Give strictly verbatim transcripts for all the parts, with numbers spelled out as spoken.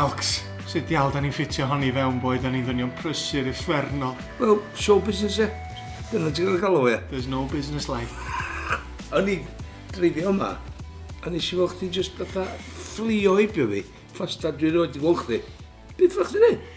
Malcs, sut diawl da ni'n ffitio honni fewn boi, da ni'n ddynion prysur uffernol. Wel, show business e. Dyna ti'n gael galw e. There's no business like. O'n i dreifio yma, a nes i weld chdi just fatha fflio heibio fi. Ffasta dwi rioed 'di gweld chdi. Beth ffwch chdi neud?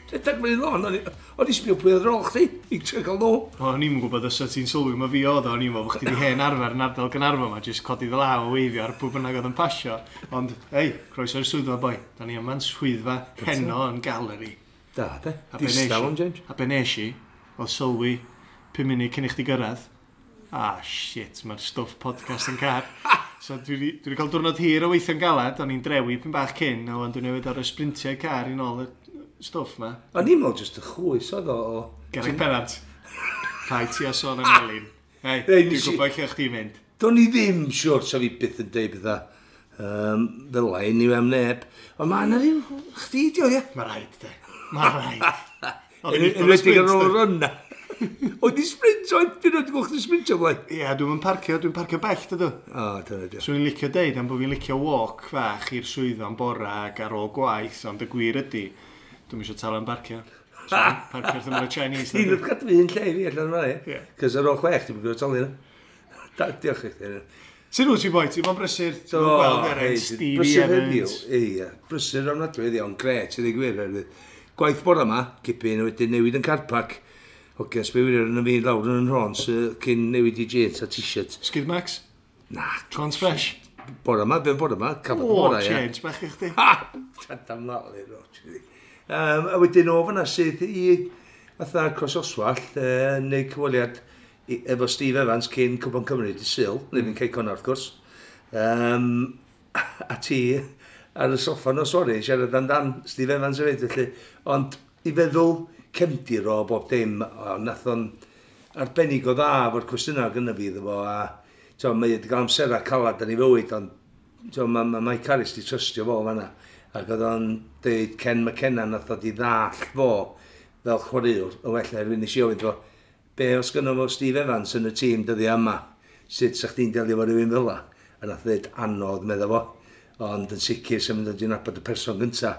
Rhedeg mewn i lôn, o'n i o'n i sbio pwy oedd ar ôl chdi, i trio cael nhw. O'n i'n gwybod os ti'n sylwi ma fi oedd o, o'n i'n meddwl bod chdi 'di hen arfer yn ardal Gaernarfon ma, jyst codi dy law a weifio ar pwy bynnag oedd yn pasio. Ond, ei, croeso i'r swyddfa boi. Da ni yma'n swyddfa heno yn galeri. Da, de. A be nes Distaw i- am James. A be nes i, oedd sylwi pum munud cyn i chdi gyrraedd. Ah, shit, mae'r stwff podcast yn car. So dwi wedi dwi 'di cael diwrnod hir o weithio'n galad, o'n i'n drewi pyn bach cyn, a wan dwi'n newid ar y sprintiau car i nôl y stwff ma. O'n i'n meddwl just y chwys oedd o. o- Garreg Pennant. Rhaid ti a sôn am Elin. Hei, Ei, dwi'n nes i- gwybod lle chdi'n mynd. Do'n i ddim siwr sa fi byth yn deud bydda um, fel la i am neb. Ond mae yna ryw chdi di o, ie. Mae rhaid, de. Mae rhaid. Oedd hi'n uffern o Enwedig sprint, ar ôl de. run na. Oedd i sprint, oedd dwi'n wedi gweld chdi sprintio blaen. Ie, dwi'n yn parcio, dwi'n parcio bell, dydw. O, dyna di. Swn i'n licio deud am bod fi'n licio walk fach i'r swyddfa am bora ac ar ôl gwaith, ond y gwir ydy, dwi'n eisiau talu am barcio. So, parcio wrth ymyl y Chinese. Ti'n dydw. wrth gadw un lle i fi allan yma, ie. Ie. Cos ar ôl chwech, ti'n gwybod talu yna. Da, diolch i chdi. Sut wyt ti boi? Ti'n bod yn brysur? Ti'n bod yn gweld er hei, Stevie brysur heddiw. Evans? Ie, brysur ofnadwy heddiw, ond gret, i ddweud gwir. Oherwydd gwaith bore yma, gipyn, a wedyn newid yn car park. Oce, sbio yn y fi lawr yn y nhrons cyn newid i jeans a t-shirt. Skid Max? Na, Trons fresh? bore yma, fe'n bore yma, cafodd O, bore, ie. change bach i chdi. Ha! Tadam lali, ro. Um, a wedyn o fyna sydd i fatha Croesoswallt, uh, neu cyfweliad i- efo Steve Evans cyn Cwpan Cymru dydd Sul, mm. neu fi'n Cei Connah wrth gwrs. Um, a ti ar y soffa nos sori, siarad amdan Steve Evans hefyd, felly. Ond i feddwl cefndir o bob dim, o, nath o'n arbennig o dda efo'r cwestiynau gynna fi iddo fo, a to, mae wedi cael amserau calad yn ei fywyd, ond to, mae ma Mike Harris di trystio fo fanna. Ac oedd o'n deud Ken McKenna nath o di ddall fo fel chwaraewr yn well erwyn nes i ofyn fo, be os gynno fo Steve Evans yn y tîm dyddia yma, sut sa chdi'n delio efo rhywun fel la? A nath ddeud anodd, medda fo, ond yn sicr sy'n mynd i nabod y person gynta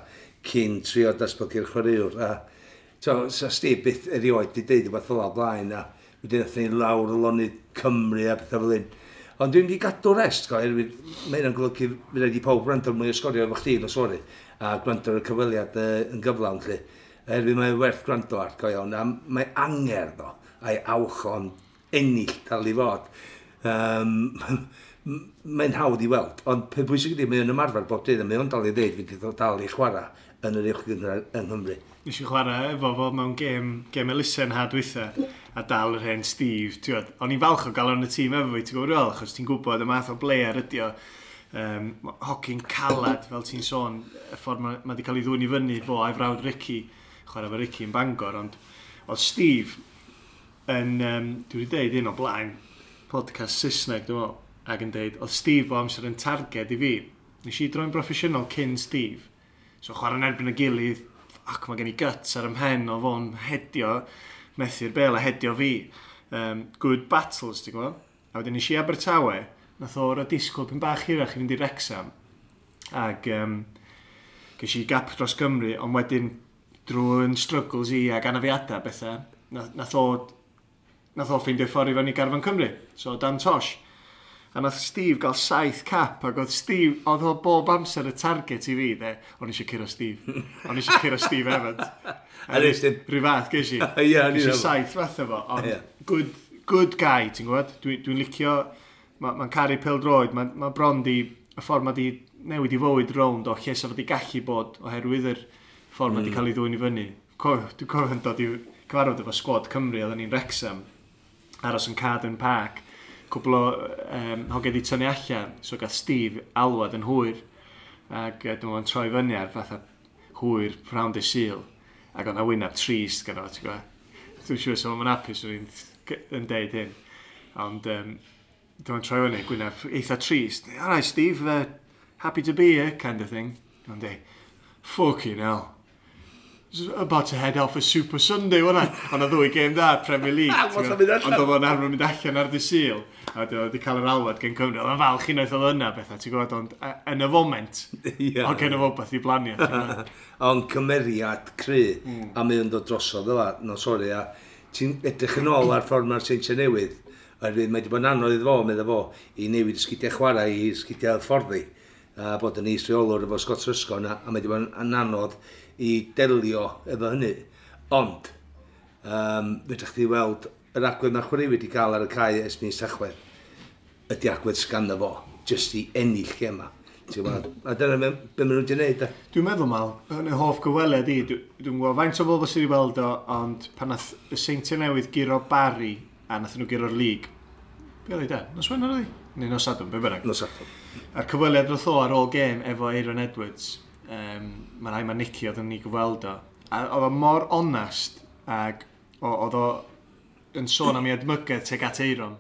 cyn trio datblygu'r chwaraewr. A to, sa Steve byth erioed di deud rhywbeth fel la o blaen, a wedyn nath ni lawr y lonydd Cymru a pethau fel hyn. Ond dwi'n mynd i gadw rest, go, oherwydd mae hynna'n golygu fydd rhaid i pawb gwrando mwy o sgorio efo chdi, no sori, a gwrando ar y cyfweliad uh, yn gyflawn, lle. Oherwydd mae'n werth gwrando ar, go iawn, a mae angerdd o, a'i awch o'n ennill dal i fod. Um, mae'n hawdd i weld, ond pe bwysig ydy, mae o'n ymarfer bob dydd, a mae o'n dal i ddeud, fydd o dal i chwarae yn yr uwch gynghrair yng Nghymru. Nes i chwarae efo fo mewn gêm, gêm elusen ha dwytha, a dal yr hen Steve. Ti'n gwbod, o'n i'n falch o gael o'n y tîm efo fi, ti'n gwybod fel, achos ti'n gwybod y math o player ydi o. Um, hogyn calad, fel ti'n sôn, y ffordd mae ma wedi cael ei ddwyn i fyny fo a'i frawd Ricky, chwarae efo Ricky yn Bangor, ond oedd Steve yn, um, dwi wedi deud un o blaen, podcast Saesneg, dwi'n meddwl, ac yn deud, oedd Steve o amser yn targed i fi. Nes i droi'n broffesiynol cyn Steve. So chwarae'n erbyn y gilydd, ac mae gen i guts ar 'y mhen o fo'n hedio, methu'r bel a hedio fi. Um, good battles, ti'n gwybod? A wedyn nes i Abertawe, nath o roi disgwyl pyn bach hirach i fynd i Wrexham. Ac um, ges i gap dros Gymru, ond wedyn drwy'n struggles i ac anafiadau bethau, nath, nath o nath o ffeindio ffordd i fyny garfan Cymru. So Dan Tosh. A nath Steve gael saith cap, ac oedd Steve, oedd o bob amser y target i fi, de. O'n i eisiau curo Steve. O'n i eisiau curo Steve Evans. A nes dim? Rhyw fath, ges i. Ie, o'n i'n Ges i meddwl. saith fath efo. Ond Ie. good, good guy, ti'n gwybod? Dwi'n dwi licio, mae'n ma caru pêl-droed, mae'n ma bron di, y ffordd mae di newid i fywyd rownd o lle sa fo di gallu bod oherwydd yr ffordd mm. mae di cael ei ddwyn i fyny. Co, dwi'n cofio'n dod i cyfarfod efo sgwad Cymru, oedden ni'n Wrexham, aros yn Carden Park, cwbl o um, hogiau di tynnu allan, so gath Steve alwad yn hwyr, ac uh, dwi'n meddwl troi fyny ar fatha hwyr prynhawn dydd Sul, ac oedd na wyneb trist gyda fo, ti'n gwybod? Dwi'n siŵr so mae'n hapus o'n i'n yn deud hyn. Ond um, dwi'n troi fyny, gwyneb eitha trist. All right, Steve, uh, happy to be here, kind of thing. Dwi'n deud, "Fucking hell. About to head off a Super Sunday, wasn't I? Ond oedd ddwy gêm da, Premier League. Ond oedd o'n arfer mynd allan ar dy Sul. A oedd wedi cael yr alwad gen Cymru. Oedd o'n falch unwaith oedd yna bethau, ti'n gwybod, ond yn y foment, yeah. Oedd gen y fo beth i blanio. Ond cymeriad cry, mm. a mae o'n dod drosodd fel, no sori, a ti'n edrych yn ôl ar ffordd mae'r Seintiau Newydd, oherwydd mae wedi bod yn anodd iddo fo, meddwl fo, i newid y sgidiau chwarae i sgidiau fforddi, a bod yn is-reolwr efo Scott Ruscoe, a mae wedi bod yn anodd i delio efo hynny. Ond, um, fedrwch chi weld yr agwedd mae'r chwaraewyr wedi cael ar y cae ers mis Tachwedd, ydy agwedd sganddo fo, jyst i ennill gema. A dyna be maen nhw wedi gwneud. Dwi'n meddwl, Mal, yn y hoff gyfweliad i, dwi'n gwybod faint o bobl sydd wedi weld o, ond pan nath y Seintiau Newydd guro Barry, a nath nhw guro'r lig, be oedd hi da? Nos Wener oedd hi? Neu nos Sadwrn, be bynnag. Nos Sadwrn. A'r cyfweliad nath o ar ôl gêm efo Aaron Edwards, um, mae rhai mae Nicky oedd yn ni gyfweld o, a oedd o mor onest, ac oedd o yn sôn am ei edmygedd tuag at Aaron,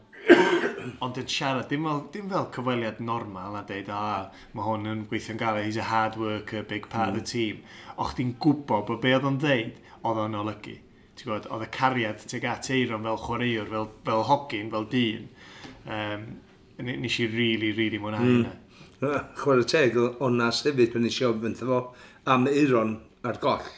ond yn siarad, dim fel, dim fel cyfweliad normal a deud, ah, mae hwn yn gweithio'n galed, he's a hard worker, big part mm. of the team. O chdi'n gwybod bod be oedd o'n ddeud, oedd o'n olygu. Ti'n gwybod, oedd y cariad tuag at Aaron fel chwaraewr, fel, fel hogyn, fel dyn. Um, nes i really, really mwynhau mm. hynna. Chwarae teg, onast hefyd, pan nes i ofyn fo am Aaron ar goll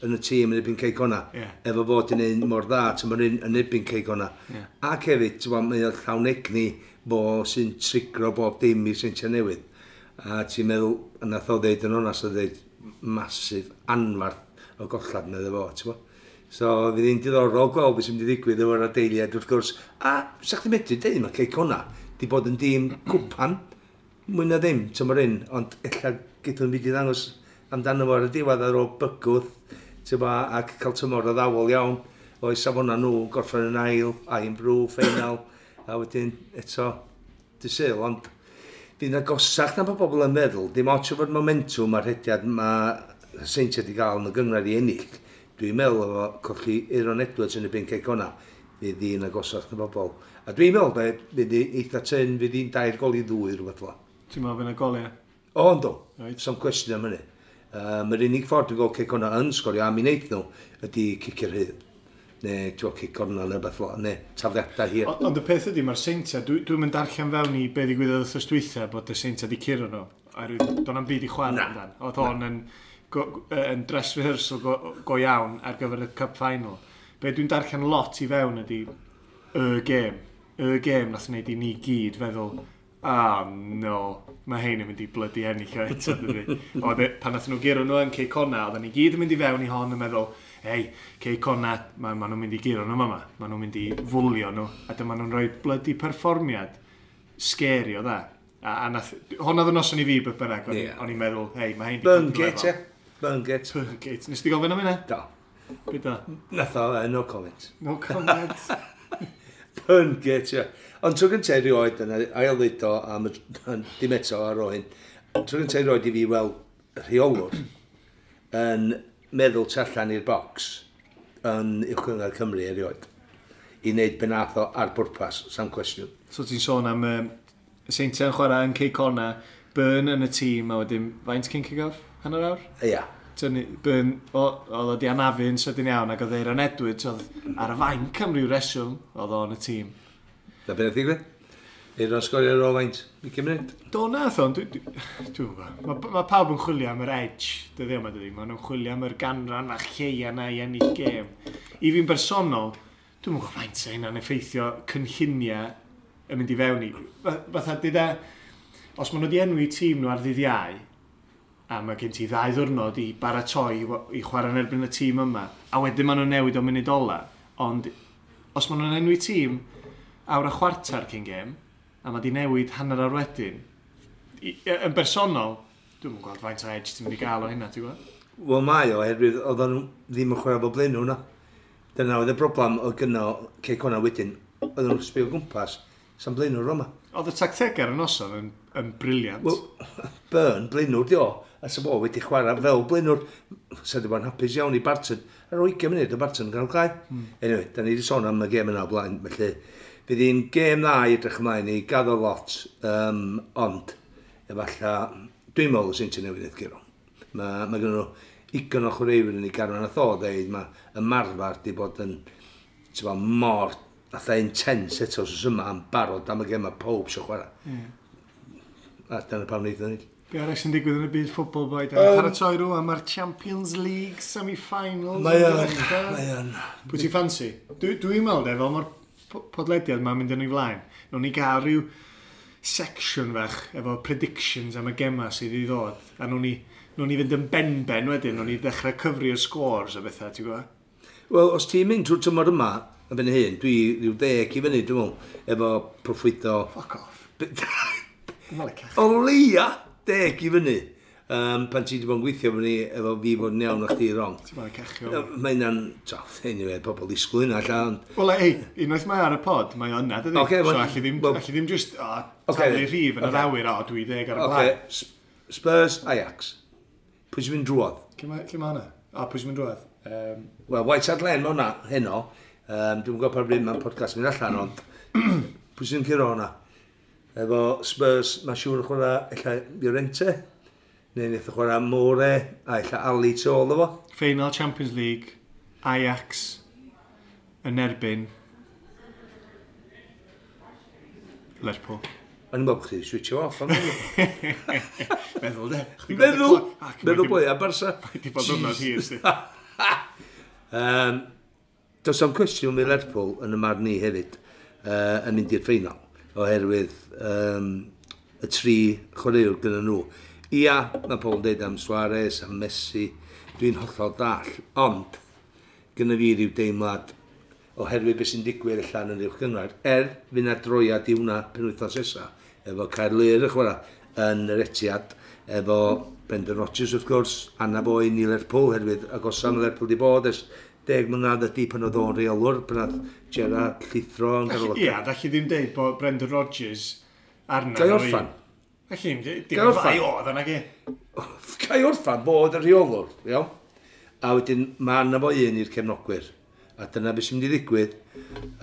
yn y tîm yn erbyn Cei Connah, yeah. Efo fod yn un mor dda, ti'n un yn erbyn Cei Connah. Yeah. Ac hefyd, ti'n mae o'n llawn egni fo sy'n trigro bob dim i'r Seintiau Newydd. A ti'n meddwl, a nath o ddeud yn onast, o ddeud masif anfarth o gollad meddwl fo, ti'n bod? So, fydd hi'n diddorol gweld beth sy'n mynd i ddigwydd efo'r adeiliad wrth gwrs. A, sa chdi'n medru deud, mae Cei Connah di bod yn dîm cwpan, mwy na ddim, tymor un, ond ella gyda nhw'n mynd i ddangos amdano fo ar y diwedd ar ôl bygwth, ba, ac cael tymor addawol iawn, o'i safona nhw, gorffen yn ail, Irn-Bru, ffeinal, a wedyn eto dydd Sul, ond fydd yn agosach na bod bobl yn meddwl, dim ots efo'r momentum a'r rhediad mae Seintiau wedi gael yn y gynghrair i ennill. Dwi'n meddwl efo colli Aaron Edwards yn y Cei Connah, fydd hi'n agosach na bobl. A dwi'n meddwl, be, fydd hi eitha tyn, fydd hi'n dair gol i ddwy rhywbeth fel. Ti'n meddwl fydd yna goliau? O, ynddo. Right. Some cwestiwn am hynny. Um, yr unig ffordd dwi'n gweld Cei Connah yn sgorio am i wneud nhw ydy cicio'r rhydd. Neu ti'n cic cornel neu beth fel, neu tafliadau hir. Ond y peth ydy, mae'r Seintiau, dwi'n dwi mynd darllen fewn i be ddigwyddodd wythnos dwytha bod y Seintiau di curo nhw. Oherwydd do'n am byd i chwarae amdan. Oedd hon yn, go, yn dress rehearsal go, go iawn ar gyfer y Cup Final. Be dwi'n darllen lot i fewn ydy y gêm. Y gêm nath wneud i ni gyd feddwl, ah no, mae hein yn mynd i bloody ennill o eto, dydy. Oedd e, pan nath nhw guro nhw yn Cei Connah, oedden ni gyd yn mynd i fewn i hon yn meddwl, hei, Cei Connah, ma, ma nhw'n mynd i guro nhw yma, ma nhw'n mynd i fwlio nhw, a dyma nhw'n rhoi bloody perfformiad scary o dda. A, a nath, hwn oedd y noson i fi, beth bynnag, o'n yeah. i'n meddwl, hei, mae hein di Burngate, ie. Burngate. Burngate. Nes ti gofyn am hynna? Do. Be da? Nath o, uh, no comment. No comment. Burngate, ie. Ond tro gyntaf erioed, yna, ail ddeud o, am dim eto ar ôl hyn, tro gyntaf erioed i fi weld rheolwr yn meddwl tu allan i'r bocs yn Uwch Gynghrair Cymru erioed i wneud be nath o ar bwrpas, sam cwestiwn. So ti'n sôn am um, Seintiau yn chwarae yn Cei Connah, Byrne yn y tîm, a wedyn faint cyn kick-off? Hanner awr? Ia. Tynnu, Byrne, oedd o di anafu'n sydyn iawn, ac oedd Aaron Edwards, oedd ar y fainc am ryw reswm, oedd o yn y tîm. Na beth ddigwydd? Aaron sgorio ar ôl faint? ugain munud? Do nath o, dwi'n dwi, dwi gwybod. Mae ma pawb yn chwilio am yr edge, dyddi yma dydi. Maen nhw'n chwilio am yr ganran fach lleia na i ennill gêm. I fi'n bersonol, dwi'n gwybod faint sa hynna'n effeithio cynlluniau yn mynd i fewn i. Fatha, dyda, os maen nhw wedi enwi tîm nhw ar ddydd Iau, a mae gen ti ddau ddwrnod i baratoi i, i chwarae yn erbyn y tîm yma, a wedyn maen nhw'n newid o munud ola, ond os maen nhw'n enwi tîm awr a chwarter cyn gêm, a mae di newid hanner awr wedyn, i, yn bersonol, dwi'n gweld faint o edge ti'n mynd i gael o hynna, ti'n gwybod? Wel mae o, oherwydd oedden nhw ddim yn chwarae bob blaenwr na. Dyna oedd y broblem oedd gynno Cei Connah wedyn. Oedden nhw'n sbio o gwmpas, sa'n blaenwr yma. Oedd y tactegau ar y noson yn, yn brilliant. Wel, Byrne, blaenwr di o, a sa fo wedi chwarae fel blaenwr, sa di bod yn hapus iawn i Barton. Ar ôl ugain munud o Barton yn cael cae. Mm. Anyway, da ni wedi sôn am y gêm yna o blaen, felly fydd hi'n gêm dda i edrych ymlaen i, gaddo lot, um, ond efallai, dwi'n meddwl y Seintiau Newydd wneud guro. Mae ma gen nhw Ugain o chwaraewyr yn ei garfan. Nath o ddeud mae ymarfer di bod yn, ti'n gwbod, mor fatha intense eto wsos yma yn barod am y gema, pob eisiau chwarae. Mm. A dyna pam wnaeth o'n ennill. Be arall sy'n digwydd yn y byd ffwbol, boi? Da ni'n paratoi rwan, mae'r Champions League semi-finals. Mae yn o'n, dechrau. Mae o'n. Pwy ti'n ffansi? Dwi- Dwi'n meddwl, de, fel mae'r po- podlediad ma'n mynd yn ei flaen, nawn ni gael rhyw section fach efo predictions am y gema sydd i ddod. A nawn ni, nawn ni fynd yn benben wedyn, nawn ni ddechrau cyfri'r scores a bethau, ti'n gwybod? Wel, os ti'n mynd trwy'r tymor yma, yn fyny hyn, dwi rhyw ddeg i fyny, dwi'n meddwl, efo proffwydo. Fuck off. Dwi'n meddwl cach. O leia, deg i fyny. Um, pan ti wedi bod yn gweithio fyny efo fi fod yn iawn a chdi wrong. Ti'n meddwl cachio. Mae hynna'n, to, anyway, pobl ddisgwyl hynna allan, ond Wel, ei, unwaith mae ar y pod, mae o yna, dydy? Ocê, so wel- allu ddim, wel- allu ddim just, o, Ocê, taflu rhif yn yr ocê. awyr, o, dwi ddeg ar y Oce, blaen. Spurs, Ajax. Pwy sy'n mynd drwodd? Lle mae lle mae hwnna? O, pwy sy'n mynd drwodd? Um, Wel, White Hart Lane, mae hwnna heno. Um, dwi'n gwybod pa bryd mae'n podcast mynd allan, ond pwy sy'n curo hwnna? Efo Spurs, mae'n siŵr yn chwarae ella Llorente, neu wnaeth o chwarae Moore, a ella Ali tu ôl efo. Final Champions League, Ajax yn erbyn Lerpwl. O'n i'n meddwl bod chdi switcho off am hynny. Meddwl, de. Chdi gweld y Meddwl, clo- Ah, cymryd meddwl dim- boi, a Barca. Di bod hwnna'n hir, sti. Um, does am cwestiwn mi Lerpwl yn y marn ni hefyd uh, yn mynd i'r ffeinal oherwydd um, y tri chwaraewr gyda nhw. Ia, mae pobl yn dweud am Suarez, am Messi, dwi'n hollol dall, ond gyda fi ryw deimlad oherwydd beth sy'n digwydd allan yn uwch gynghrair, er fydd na droiad i hwnna penwythnos nesa, efo Caerlŷr yn chwarae yn yr Etihad, efo Brendan Rodgers wrth gwrs, anaf oen i Lerpwl, herwydd agosa mae Lerpwl di bod ers deg mlynedd ydy pan oedd o'n reolwr, pan oedd Gerrard llithro yn ganol y Ia, da chi ddim deud bod Brendan Rodgers arna. Gai orffan? Da chi ddim deud, Gai dim orffan? fai oedd yna gi. Gai orffan bod y rheolwr, iawn? A wedyn mae yna fo un i'r cefnogwyr. A dyna beth sy'n mynd i ddigwydd.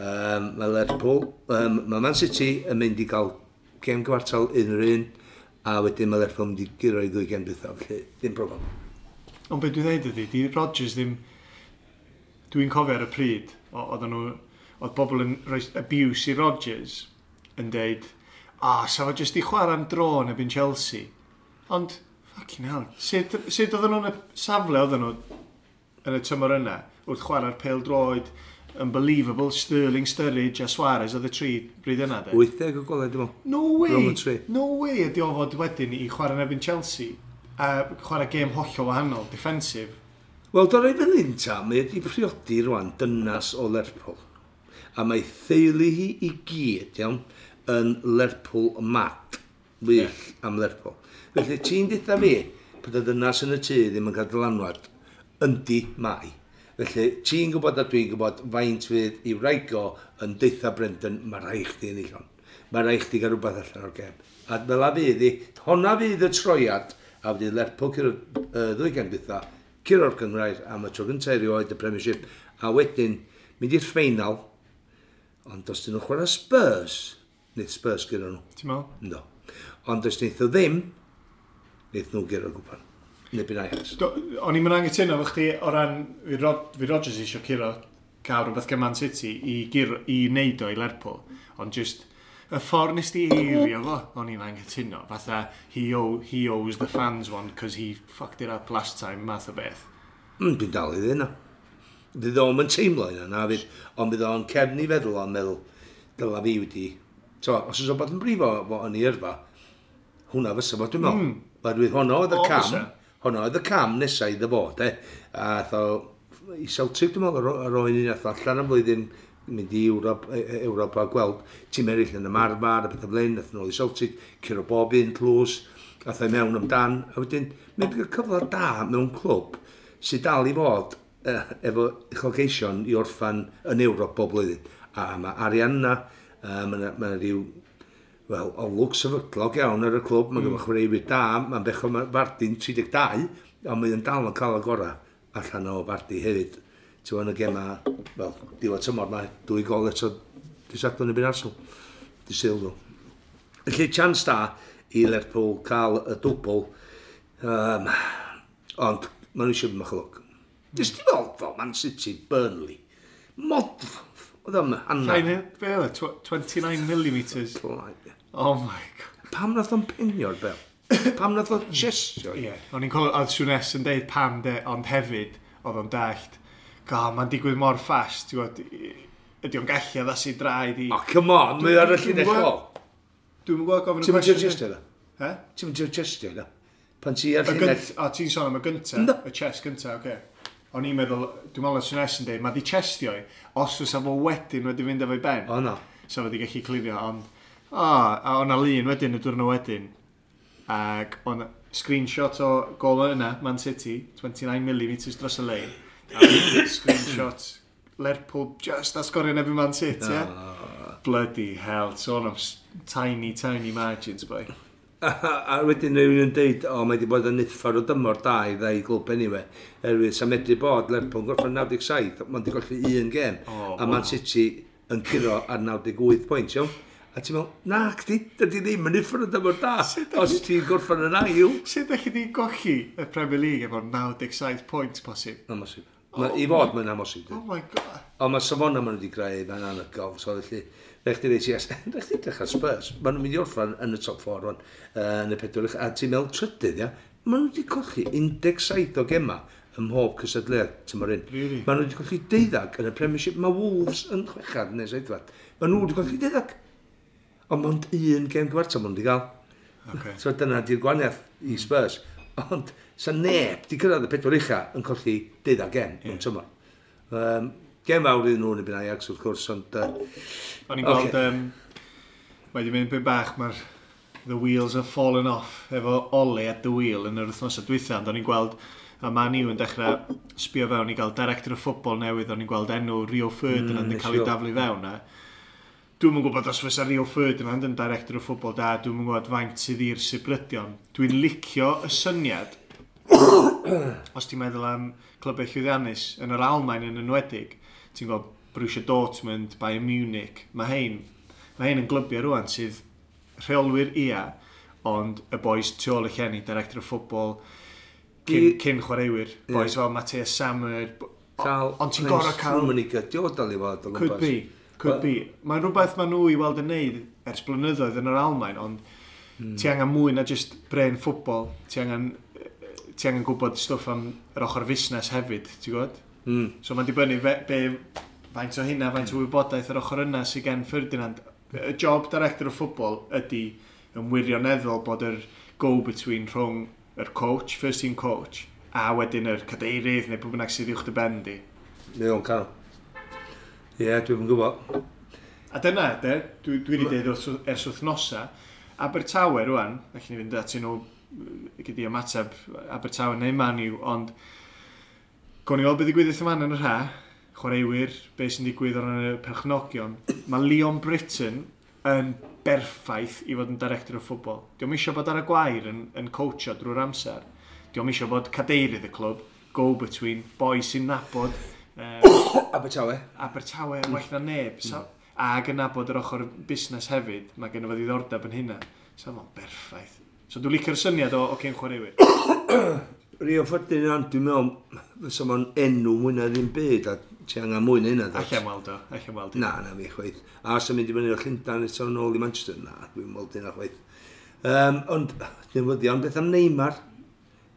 Um, mae Lerpwl, um, mae Man City yn mynd i gael gem gyfartal un yr un, a wedyn mae Lerpwl yn mynd i guro i ddwy gem dwytha, felly ddim problem. Ond beth dwi'n dweud ydy, di Rodgers ddim. Dwi'n cofio ar y pryd, o- oedden nhw, oedd bobl yn rhoi abuse i Rodgers yn deud, a, sa fo jyst i chwarae am dro yn erbyn Chelsea. Ond, fucking hell, sut, sut oedden nhw'n y safle oedden nhw yn y tymor yna, wrth chwarae'r pêl droed, unbelievable, Sterling, Sturridge a Suarez oedd y tri bryd yna, de. wyth deg o golau, dwi'n meddwl. No way! Rhwng y tri. No way ydi o fod wedyn i chwarae yn erbyn Chelsea a chwarae gêm hollol wahanol, defensive. Wel, do rei fel un ta, mae wedi priodi rwan dynas o Lerpwl. A mae theulu hi i gyd, iawn, yn Lerpwl mad. Wyll yeah. am Lerpwl. Felly ti'n deutha fi, bod y dynas yn y tŷ ddim yn cael dylanwad, yndi mai. Felly ti'n gwybod a dwi'n gwybod faint fydd i wraig o yn deutha Brendan, mae rhaid chdi ennill hon. Mae rhaid chdi gael rhywbeth allan o'r gem. A fel a fydd hi, honna fydd y troiad, a fydd Lerpwl curo'r uh, ddwy gem dwytha, curo'r gynghrair am y tro gyntaf erioed y Premiership, a wedyn mynd i'r ffeinal, ond os dyn nhw'n chwarae Spurs, wneith Spurs guro nhw. Ti'n meddwl? No. Ond os wneith nhw ddim, wneith nhw guro'r gwpan. Neu byn Ajax. Do- O'n i'n mynd angytuno efo chdi o ran fi, Rod, fi Rodgers eisiau curo cael rhywbeth gan Man City i, guro, i wneud o i Lerpwl. Ond just y ffordd nes di eirio fo, o'n i'n anghytuno. Fatha, he, owe, he owes the fans one because he fucked it up last time, math o beth. Mm, dwi'n dal i ddweud na. Fydd o'n yn teimlo yna, na fydd, ond fydd o'n cefn i feddwl o'n meddwl, dyla fi wedi. So, os oes o bod yn brifo fo yn ei yrfa, hwnna fysa fo, dwi'n meddwl. Mm. Oherwydd honno oedd y O, cam, fysa. honno oedd y cam nesaf iddo fo, de. A ath o i Celtic, dwi'n meddwl, ar oen un ath o allan am flwyddyn, mynd i Ewrop, e- e- Ewrop a gweld tîm eraill yn ymarfer a bethau fel hyn, ath nôl i Celtic, curo bob un tlws, ath o i mewn amdan, a wedyn, mae'n cael cyfle da mewn clwb sydd dal i fod eh, efo uchelgeision i orffan yn Ewrop bob blwyddyn. A mae arian yna, uh, mae yna ma rhyw, wel, olwg sefydlog iawn ar y clwb, mae'n mm. gyda chwaraewyr da, mae'n bechod mae Vardy'n tri deg dau, ond mae'n dal yn cael y gorau allan o Vardy hefyd. Ti'n gwbod, yn y gema, wel, diwedd tymor mae dwy gol eto dydd Sadwrn yn byn Arsenal. Dydd Sul nhw. Felly, chance da i Lerpwl cael y dwbl, um, ond Maen nhw eisiau bach o lwc. Nes ti weld fel Man City, Burnley. Mod... Oedd o'n hanner. Be oedd e? twenty-nine millimeters. Oh my God. Pam nath o'n penio'r bel? Pam nath o'n chestio? Ie. Yeah. O'n i'n cofio, oedd Souness yn deud pam de, ond hefyd, oedd o'n dallt. God, mae'n digwydd mor fast, ti'n gwybod, ydy o'n gallu addasu draed i... Oh, come on, mae ar y llinell ôl. Dwi'm yn gwybod gofyn y cwestiwn. Ti'n mynd chestio da? He? Ti'n mynd chestio da? Pan ti ar llinell... O, ti'n sôn am y gynta, y chest gynta, oce. O'n i'n meddwl, dwi'n meddwl oedd Souness yn deud, mae di chestio i, os fysa fo wedyn wedi fynd efo'i ben. O, no. Sa fo wedi gallu clirio, ond... O, a o'na lun wedyn, y diwrnod wedyn. Ac o'n screenshot o gol yna, Man City, twenty-nine millimeters dros y lein. A screenshot Lerpwl just a sgorio yn erbyn Man City, ie? Yeah? Bloody hell, sôn am tiny, tiny margins, boy. A, a wedyn rhywun yn deud, o, mae wedi bod yn uffar o dymor da i ddau glwb anyway. Erwydd, sa medru bod Lerpwl yn gorffen naw deg saith, mae'n wedi golli un gêm. Oh, a Man City yn curo ar naw deg wyth pwynt, iawn? A ti'n meddwl, na, chdi, dydy ddim yn uffar o dymor da, os ti'n gorffen yn ail. Sut ydych chi wedi golli y Premier League efo naw deg saith pwynt posib? Amhosib. Oh, I fod mae'n amhosib. Oh my God. Ond mae safona maen nhw wedi greu fan anhygoel, so felly, rhaid chdi ddeud, yes, rhaid chdi edrych ar Spurs, maen nhw'n mynd i orffan yn y top four rwan, uh, yn y pedwar, a ti'n meddwl trydydd, ia, maen nhw wedi colli un deg saith o gema ym mhob cystadleuaeth tymor hyn. Really? Maen nhw wedi colli deuddag yn y Premiership, mae Wolves yn chwechad neu seithfed. Maen nhw wedi colli deuddag. Ond mond un gêm gyfartal maen nhw wedi gael. Okay. So dyna di'r gwahaniaeth i Spurs. Ond sa neb di cyrraedd y pedwar ucha yn colli deuddag gem yeah. mewn tymor. Um, gem fawr iddyn nhw yn erbyn Ajax wrth gwrs, ond... Uh, O'n i'n gweld, okay. um, mae wedi mynd byn bach, mae'r the wheels have fallen off efo Ole at the wheel yn yr wythnosau dwytha, ond o'n i'n gweld a Man U yn dechrau sbio fewn i gael director of football newydd, o'n i'n gweld enw Rio Ferdinand mm, yn cael ei daflu fewn. A dwi'm yn gwybod os fysa Rio Ferdinand yn director of football da, dwi'm yn gwybod faint sydd i'r sibrydion. Dwi'n licio y syniad, os ti'n meddwl am clybiau llwyddiannus, yn yr Almaen yn enwedig, ti'n gwybod Borussia Dortmund, Bayern Munich, mae hein, mae hein yn glybiau rwan sydd rheolwyr ia, ond y boys tu ôl y llenni, director of football, cyn, cyn chwaraewyr, boys yeah. fel Matthias Sammer, ond ti'n gorau cael... Rummenigge, di o dal i fod o gwmpas. Could be. Could be. Mae'n rhywbeth maen nhw i weld yn neud ers blynyddoedd yn yr Almaen, ond mm. ti angen mwy na just brain football. Ti angen, ti angen gwybod stwff am yr ochr fusnes hefyd, ti'n gwybod? Mm. So mae'n dibynnu fe, be, faint o hynna, faint o wybodaeth yr ochr yna sydd gen Ferdinand. Y job director of football ydy yn wirioneddol bod yr go-between rhwng yr coach, first team coach, a wedyn yr cadeirydd neu pwy bynnag sydd uwch dy ben di. Neu o'n cael. Ie, yeah, dwi'n gwybod. A dyna, de, dwi, dwi wedi dweud ers wythnosa, Abertawe rwan, allan ni fynd atyn nhw gyda ymateb Abertawe neu Man U, ond gawn ni weld beth ddigwydd yma yn yr ha, chwaraewyr, beth sy'n digwydd o ran y perchnogion. Mae Leon Britton yn berffaith i fod yn director of football. Dio'm eisiau bod ar y gwair yn, yn coachio drwy'r amser. Dio'm eisiau bod cadeirydd y clwb, go-between, boi sy'n nabod Um, Abertawe. Abertawe yn well na neb. So, ac yn nabod yr ochr busnes hefyd, mae gen i fo ddiddordeb yn hynna. So fo'n berffaith. So dwi'n licio'r syniad o, o cyn chwaraewyr. Rio Ferdinand, dwi'n meddwl, fysa fo'n enw mwy na ddim byd, a ti angen mwy na hynna. Allan weld o, allan weld o. Na, na fi chwaith. A os yn mynd i fyny o Llundain eto nôl i Manchester, na, dwi'n weld hynna chwaith. Um, ond, newyddion, beth am Neymar?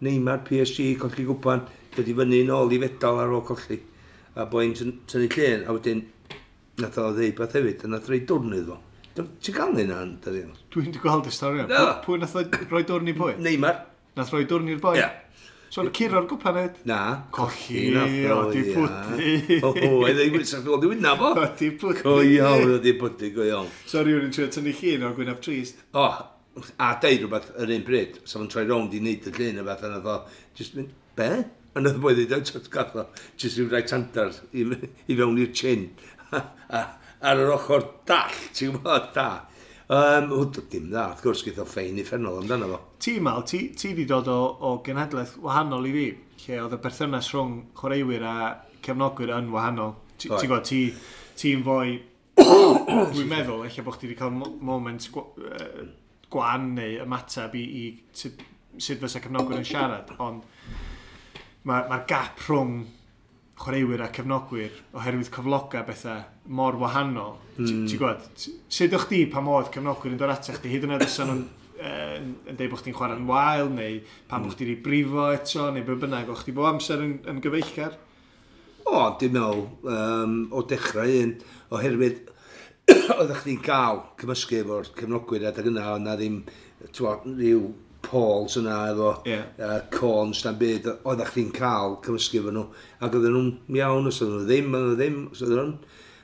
Neymar, P S G, colli gwpan, dod i fyny nôl i fedal ar ôl colli. A boi'n tynnu llun, a wedyn nath o ddeud beth hefyd, a nath roi dwrn iddo fo. Ti'n gael hynna yn dydi? Dwi'n wedi gweld y stori yna. Pwy nath o roi dwrn i pwy? Neymar. Nath roi dwrn i'r boi? Ie. So o'n curo'r gwpan hefyd? Na. Colli, o, di pwdu. O, oedd ei wynaf o wynaf o. O, di pwdu. Go iawn, o, di pwdu, go iawn. So rhywun yn trio tynnu llun o'r gwynaf trist? O, a deud rhywbeth yr un pryd, so fo'n troi rownd i wneud y llun o beth, a nath o, just mynd, be? A nath y boi ddeud, o, gath o, jyst rhyw right handar i, i fewn i'r chin. Ar yr ochr dall, ti'n gwybod, da. Um, o, dim dda, wrth gwrs, gaeth o ffein uffernol amdano fo. Ti, Mal, ti, ti di dod o, o genhedlaeth wahanol i fi, lle oedd y berthynas rhwng chwaraewyr a cefnogwyr yn wahanol. Ti'n gwybod, ti, ti'n fwy, dwi'n meddwl, ella bod chdi wedi cael moment gwan neu ymateb i, i sut, sut fysa cefnogwyr yn siarad, ond Mae'r ma gap rhwng chwaraewyr a cefnogwyr oherwydd cyfloga bethau mor wahanol. Mm. Ti'n gwybod, sut o'ch di pa modd cefnogwyr yn dod atach chdi, hyd yn oed os nhw'n yn, yn deud bod chdi'n chwarae'n wael, neu pan mm. bod chdi wedi brifo eto, neu be bynnag, o'ch chdi bob amser yn, yn gyfeillgar? O, dwi'n meddwl, um, o dechrau un, oherwydd oeddech chdi'n gael cymysgu efo'r cefnogwyr adeg yna, oedd na ddim, t'wod, rhyw Pauls yna efo yeah. uh, cones na'n byd, oeddech chdi'n cael cymysgu efo nhw, ac oedden nhw'n iawn, os oedden nhw ddim, oedden nhw ddim, os oedden nhw'n...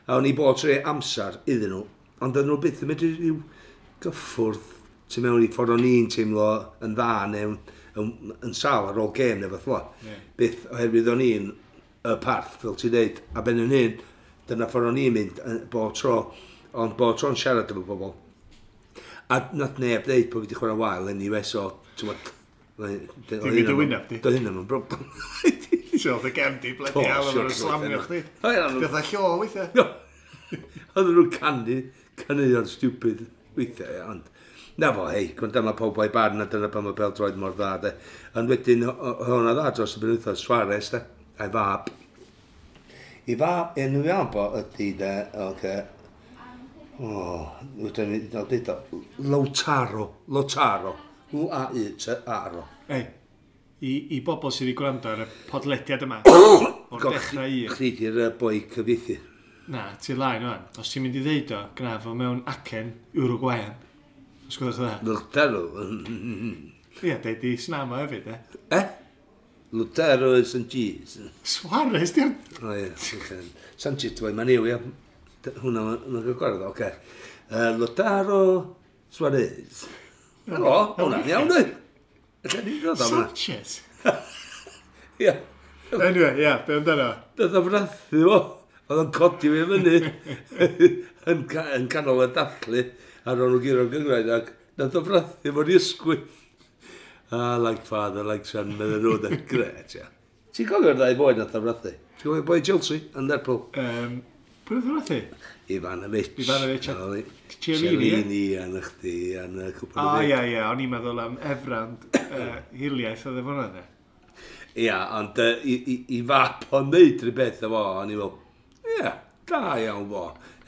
A o'n i bod trwy amser iddyn nhw, ond oedden nhw byth yn mynd i ryw gyffwrdd tu mewn i ffordd o'n i'n teimlo yn dda neu yn, yn, yn sal ar ôl gêm neu fath o. Yeah. Byth, oherwydd o'n i'n y parth, fel ti'n deud, a ben yn hyn, dyna ffordd o'n i'n mynd bob tro, ond bob tro'n siarad efo bobl. A nath neb ddeud bod fi wedi chwarae wael anyway, so, ti'n gwbod... Dim i dy wyneb di? Doedd hynna mewn broblem. Ti'n dy gefn di, bloody hell, oedden nhw'n slamio chdi. Beth a llo weithiau. Oedden nhw'n canu, caneuon stupid weithiau, ond... Na fo, hei, gwrando mae pawb o'i barn a dyna pan mae pêl-droed mor dda, de. Ond wedyn, hwnna dda dros y penwythnos, Suarez, de, a'i fab. I fab, enw iawn bo ydy, de, oce, o, wedyn ni, dweud o, Lautaro, Lautaro, L A U T A R O. Ei, i, i bobl sydd wedi gwrando ar y podlediad yma, o'r dechrau un. Chdi di'r boi cyfieithu. Na, ti'n lain o'n. Os ti'n mynd i ddeud o, gna fo mewn acen Uruguayan. Os gwelwch dda. Lautaro. Ie, deud di snama hefyd, e. Eh? Lautaro Sanchez. Suarez, di'r... O ie, Sanchez, dwi'n ma'n yw, ie. Hwna, mae'n gael gwaredd, oce. Lautaro Suarez. Helo, hwnna'n iawn, dwi. Ella ni'n dod am hwnna. Sanchez? Ie. Anyway, ie, be amdano? Doedd o frathu fo. Oedd o'n codi fi fyny yn, ca yn canol y dathlu ar ôl nhw guro'r gynghrair ac nath o frathu fo'n ysgwydd. Ah, like father, like son, medden nhw, de. Gret, ia. Ti'n cofio'r ddau boi nath o frathu? Ti'n cofio boi Chelsea yn Lerpwl? Um, pwy oedd o frathu? Ivanovic. Ivanovic a Chiellini, ie? Chiellini, a na chdi, a na cwpl O, o ie, ie, o'n i'n meddwl am Efrand uh, hiliaeth oedd efo hwnna, de. Ia, ond uh, i, i, i fab o'n neud rhywbeth efo, o'n i'n meddwl, ie, da iawn fo.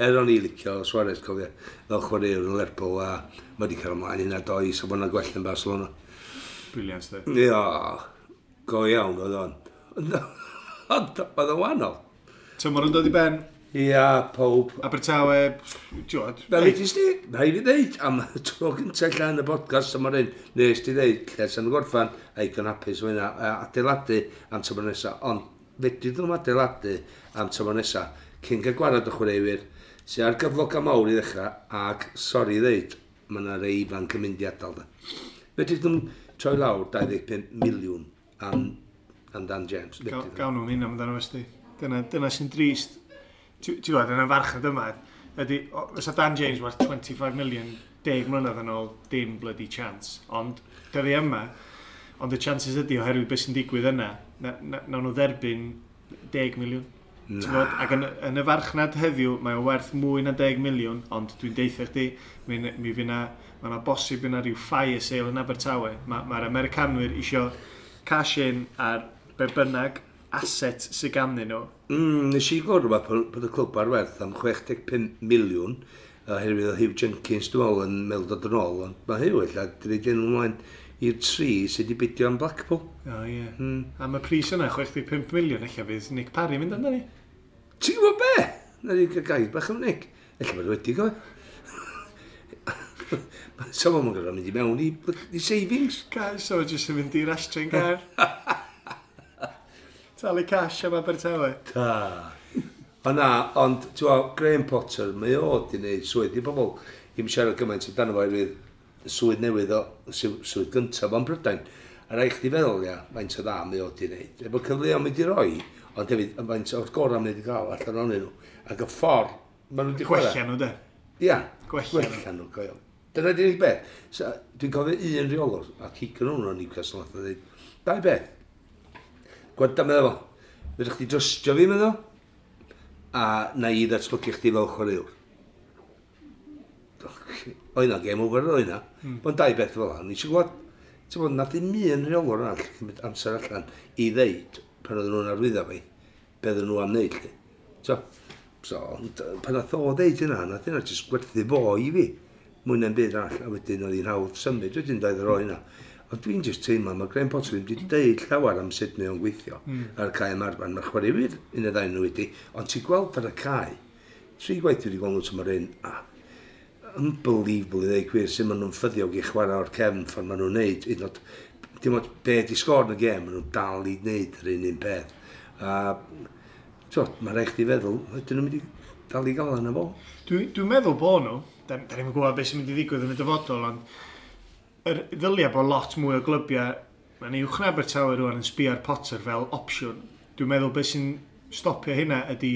Er o'n i licio Suarez, cofio, fel chwaraewr yn Lerpwl, a mae wedi cael ymlaen hynna does, a bod yna gwell yn Barcelona. Brilliant, de. Ia, go iawn oedd o'n. Ond oedd o'n wahanol. Tymor yn dod i ben, Ia, pob. Abertawe, ti'n Fel i ti sti, rhaid fi ddeud, am y tro gyntaf lle yn y podcast yma hyn, nes ti ddeud, lle sy'n gorffan, a igon hapus o hynna, a adeiladu am tymor nesaf, ond fedri ddim adeiladu am tymor nesaf, cyn cael gwarad o chwaraewyr, sy'n ar gyfloga mawr i ddechrau, ac, sori ddeud, mae yna rei ifanc yn mynd i adael. De. Fedri ddim troi lawr dau ddeg pump miliwn am, am Dan James. Fedri ddim. Gawn nhw'n hynna amdano fo. Dyna, dyna sy'n drist. Ti'n gwybod, yn y farchnad yma, ydy, o- fysa Dan James werth twenty-five million deg mlynedd yn ôl, dim bloody chance. Ond, dyddi yma, ond y chances ydy oherwydd beth sy'n digwydd yna, na, na, nawn nhw dderbyn deg miliwn. Ti'n gwbod, ac yn, yn y farchnad heddiw, mae o werth mwy na deg miliwn, ond dwi'n deitha chdi, mi, mi fydd na, mae yna bosib yna rhyw fire sale yn Abertawe. Mae'r ma Americanwyr isio cash in ar be bynnag asset sydd ganddyn nhw. Mm, nes i glywed rhywbeth bod bod y clwb ar werth am chwe deg pump miliwn oherwydd oedd Huw Jenkins, dwi'n meddwl, yn meddwl dod yn ôl, ond mae Huw ella wedi rhaid enw ymlaen i'r tri sydd wedi bidio am Blackpool. O ie. Mm. Am y pris yna, chwe deg pump miliwn, ella fydd Nick Parry mynd amdani. Ti'n gwybod be? Na ni gael gair bach am Nick. Ella bod wedi gofio. So fo'n gorfod mynd i mewn i, i savings. Guys, so jyst yn mynd i'r Astrid car. Talu cash am Abertawe. Ta. O na, ond, ti'n gwybod, Graham Potter, mae o wedi gwneud swydd i bobl. I'm siarad gymaint amdano fo oherwydd y swydd newydd o, sw- swydd gyntaf o'n Brydain. A rhaid chdi feddwl, ia, faint o dda mae o wedi gwneud. Efo cyfleoedd mynd i roi, ond hefyd, faint o'r gorau mynd i gael allan ohonyn nhw. Ac y ffordd, maen nhw wedi chwarae. Gwella nhw, de. Ia, Gwella nhw. gwella nhw, go iawn. Dyna di'r unig beth. So, dwi'n cofio un reolwr, a Keegan hwnnw o'n Newcastle, nath o dweud, dau beth. Gwenda, meddwl fo, fedrwch chdi drystio fi, meddwl, a na i ddatblygu chdi fel chwaraewr. O yna, game over o yna. Mm. Ond dau beth fel yna, ni eisiau gwybod, Ti'n bod, nath ddim un rheolwr arall cymryd amser allan i ddeud pan oedden nhw'n arwyddo fi, be oedden nhw am wneud, lly. So, so, pan nath o ddeud hynna, nath hynna jyst gwerthu fo i fi, mwy na'n byd arall, a wedyn oedd hi'n hawdd symud, wedyn doedd yr o hynna. Ond dwi'n just teimlo, mae Graham Potter ddim wedi deud llawer am sut mae o'n gweithio mm. ar y cae ymarfer. Mae'r chwaraewyr un neu ddau nhw wedi, ond ti'n gweld ar y cae, tri gwaith wedi gweld nhw tymor hyn, a unbelievable i ddeud gwir, sut maen nhw'n ffyddiog i chwarae o'r cefn ffordd maen nhw'n neud. Hyd yn oed, dim ond be di sgôr yn y gêm, maen nhw'n dal i wneud yr un un peth. A, t'wod, mae rhaid chdi feddwl, ydyn nhw'n mynd i dal i gael yna fo? Dwi'n dwi meddwl bod nhw, da, da ni'n gwybod beth sy'n mynd i ddigwydd yn y dyfodol, ond yr ddylia bod lot mwy o glybiau, mae'n uwch na Abertawe rwan yn sbio ar Potter fel opsiwn. Dwi'n meddwl beth sy'n stopio hynna ydy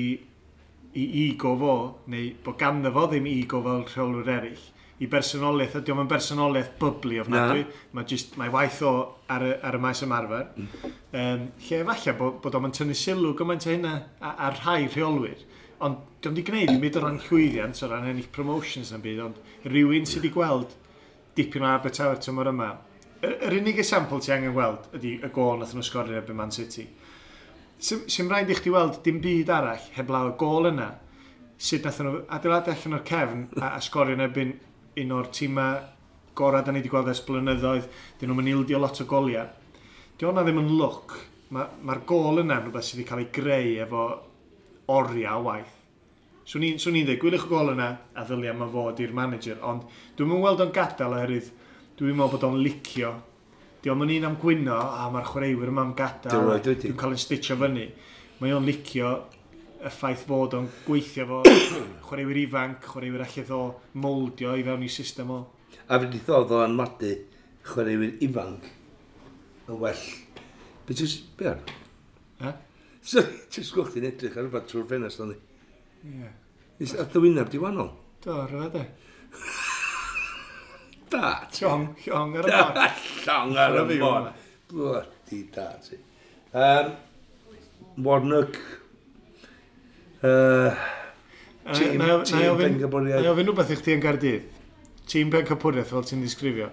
i ego fo, neu bod ganddo fo ddim ego fel rheolwyr eraill. I bersonoliaeth, ydy o'n bersonoliaeth bubbly ofnadwy. Mae just, mae waith o ar y, ar y maes ymarfer. Mm. Um, lle efallai bod, bod o'n tynnu sylw gymaint o hynna ar rhai rheolwyr. Ond diolch wedi gwneud i byd o ran llwyddiant, o ran ennill promotions na'n byd, ond rhywun sydd wedi gweld dipyn o Abertawe tymor yma. Yr, yr unig esiampl ti angen gweld ydy y gôl nath nhw sgorio erbyn Man City. Sy'n rhaid i chdi weld dim byd arall heblaw y gôl yna, sut nath nhw adeiladu allan o'r cefn a, a sgorio yn erbyn un o'r tîmau gorau da ni wedi gweld ers blynyddoedd, dyn nhw'n ildio lot o goliau. Di hwnna ddim yn lwc. Mae'r ma gôl yna yn rhywbeth sydd wedi cael ei greu efo oriau o waith. Swn i'n swn i'n dweud, gwyliwch y gôl yna a ddylia mae fod i'r manager, ond dwi'n mynd weld o'n gadael oherwydd dwi'n meddwl bod o'n licio. Di o'm yn un am gwyno, a mae'r chwaraewyr yma am gadael, dwi'n cael yn stitcho fyny. Mae o'n licio y ffaith fod o'n gweithio fo chwaraewyr ifanc, chwaraewyr allith o moldio i fewn i system o. A fe di ddod o anmadu chwaraewyr ifanc yn well. Be ti'n... Be ar? Ha? Sorry, ti'n sgwch ti'n edrych ar rhywbeth trwy'r ffenest o'n i. Ie. Is at dy wyneb di wahanol? Do, rhywbeth e. Da. Llong, llong ar y môr. Llong ar y môr. Bloody da ti. Um, Warnock. Uh, tîm, tîm Pencampwriaeth. Na i ofyn rhywbeth i chdi yn Gaerdydd. Tîm Pencampwriaeth fel ti'n disgrifio.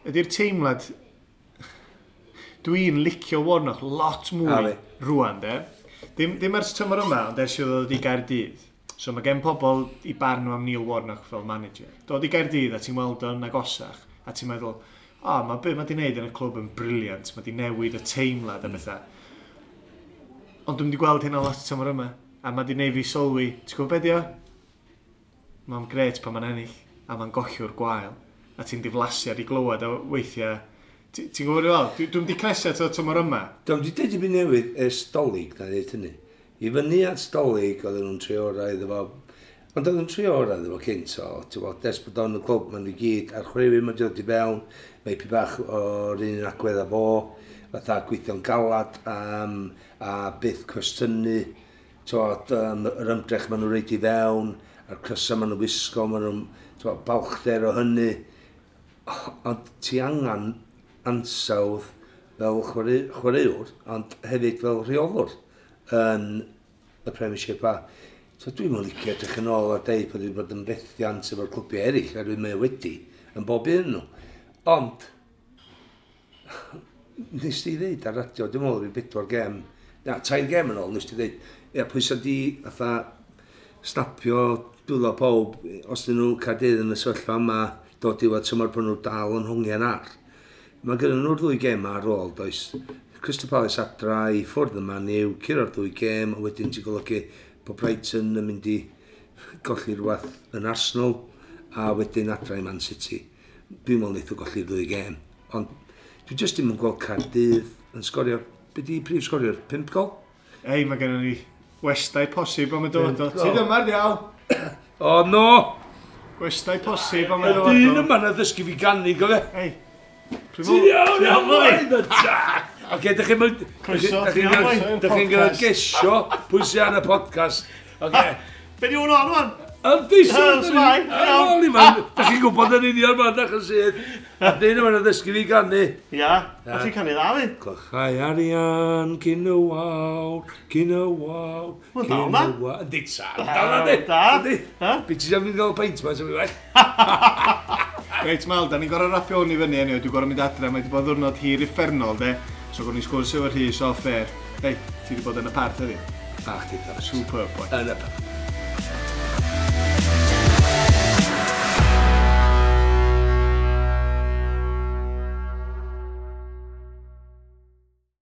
Ydy'r teimlad... Dwi'n licio Warnock lot mwy rwan, de. Dim, dim ers tymor yma, ond ers i ddod i Gaerdydd. So mae gen pobl i barn nhw am Neil Warnock fel manager. Dod i Gaerdydd a ti'n weld o'n agosach, a ti'n meddwl, o, oh, mae be mae di wneud yn y clwb yn brilliant, mae di newid y teimlad a bethau. Ond dwi'n di gweld hynna lot tymor yma, a mae di wneud fi sylwi, ti'n gwybod be di o? Mae'n gret pan mae'n ennill, a mae'n golliwr gwael, a ti'n diflasu ar ei glywed a weithiau. Ti'n gwybod fel? Dwi'n di cnesu at y tymor yma. Dwi'n di deud i fi newydd ers Dolig na ddeud hynny. I fyny at Dolig oedden nhw'n trio orau iddo fo. Ond oedden nhw'n trio orau iddo fo cynt o. Ti'n gwybod, ers bod o'n y clwb, maen nhw gyd a'r chwaraewyr ma'n dod i fewn. Mae pi bach o'r un agwedd â fo. Fatha gweithio'n galad um, a byth cwestiynu. Ti'n um, yr ymdrech maen nhw'n reid i fewn, a'r crysau maen nhw'n wisgo, maen nhw'n balchder o hynny. Ond ti angen ansawdd fel chwarae, chwaraewr, ond hefyd fel rheolwr yn y Premiership a. So dwi'n mynd licio edrych yn ôl a deud bod wedi bod yn fethiant efo'r clwbiau eraill, a dwi'n meddwl wedi yn bob un nhw. Ond, nes di ddeud ar radio, dwi'n meddwl rhyw bedwar gem, na, tair gem yn ôl, nes di ddeud, ia, pwy sa di fatha snapio dwylo pawb, os dyn nhw Caerdydd yn y sefyllfa yma, dod i weld tymor bod nhw dal yn hongian ar. Mae gyda nhw'r ddwy gem ar ôl, does. Crystal Palace adra i ffwrdd yma yw curo'r ddwy gem, a wedyn ti'n golygu bod Brighton yn mynd i golli rhywbeth yn Arsenal, a wedyn adra i Man City. Dwi'n meddwl wnaeth o golli'r ddwy gem. Ond dwi jyst ddim yn gweld Caerdydd yn sgorio. Be di prif sgorio'r? Pump gol? Ei, mae gennym ni westai posib am y dyfodol. Ti ddim ar diawl? O, no! Gwestai posib am y dyfodol. Y dyn yma na ddysgu fi ganu, gofio? Ei. Ti'n iawn, iawn, iawn, Oce, dych chi'n... Croeso, dych chi'n gyda gesio pwy sy'n ar y podcast. Oce. Be di hwn o'n wan? Yndi, sir. Dych chi'n gwybod yn union ma'n dach yn sydd. A dyn yma'n ddysgu fi ganu. Ia, a ti'n canu dda fi? Clychau arian, cyn y wawr, cyn y wawr, cyn y wawr. Yndi, sa. Dal na di. Da. Be ti am fynd gael peint ma, sy'n fi well. Reit, Mal, da ni'n gorau rapio hwn i fyny anyway. Dwi'n gorau mynd adre, mae wedi bod ddwrnod hir uffernol, de. So, gwrdd ni sgwrs efo Rhys off air. Hei, ti wedi bod yn y parth heddiw. A chdi, Superb, boy. Yn y parth.